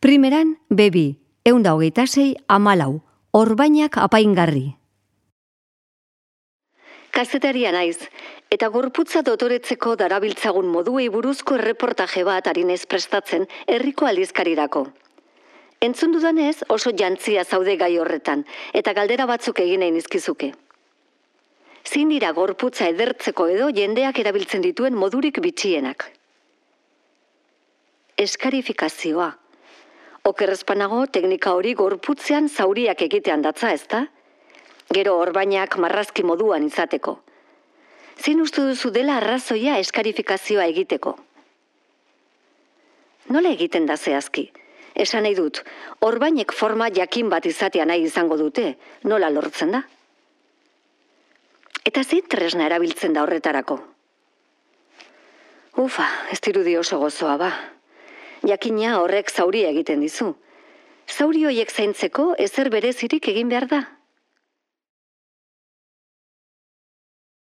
Primeran, bebi, 126,14, orbainak apaingarri. Kazetaria naiz, eta gorputza dotoretzeko darabiltzagun moduei buruzko erreportaje bat arinez prestatzen herriko aldizkarirako. Entzun dudanez oso jantzia zaude gai horretan, eta galdera batzuk egin nahi nizkizuke. Zein dira gorputza edertzeko edo jendeak erabiltzen dituen modurik bitxienak? Eskarifikazioa. Okerrezpanago teknika hori gorputzean zauriak egitean datza, ezta? Gero orbainak marrazki moduan izateko. Zein uste duzu dela arrazoia eskarifikazioa egiteko? Nola egiten da zehazki? Esan nahi dut, orbainek forma jakin bat izatea nahi izango dute, nola lortzen da? Eta zein tresna erabiltzen da horretarako? Ufa, ez dirudi oso gozoa ba. Jakina horrek zauria egiten dizu. Zauri horiek zaintzeko ezer berezirik egin behar da.